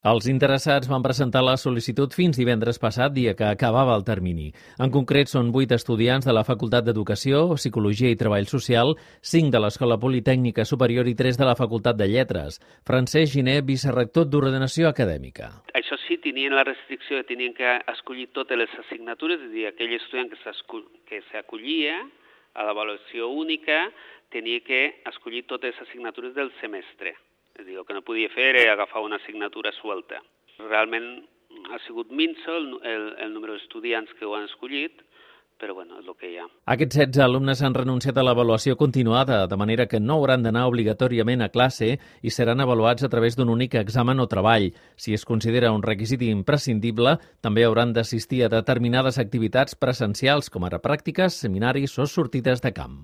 Els interessats van presentar la sol·licitud fins divendres passat, dia que acabava el termini. En concret, són 8 estudiants de la Facultat d'Educació, Psicologia i Treball Social, 5 de l'Escola Politècnica Superior i 3 de la Facultat de Lletres. Francesc Giner, vicerrector d'Ordenació Acadèmica. Això sí, tenien la restricció de tenien que escollir totes les assignatures, és a dir, aquell estudiant que s'acollia a l'avaluació única tenia que escollir totes les assignatures del semestre. És a dir, el que no podia fer era agafar una assignatura suelta. Realment ha sigut minso el número d'estudiants que ho han escollit, però bueno, és el que hi ha. Aquests 16 alumnes han renunciat a l'avaluació continuada, de manera que no hauran d'anar obligatòriament a classe i seran avaluats a través d'un únic examen o treball. Si es considera un requisit imprescindible, també hauran d'assistir a determinades activitats presencials, com ara pràctiques, seminaris o sortides de camp.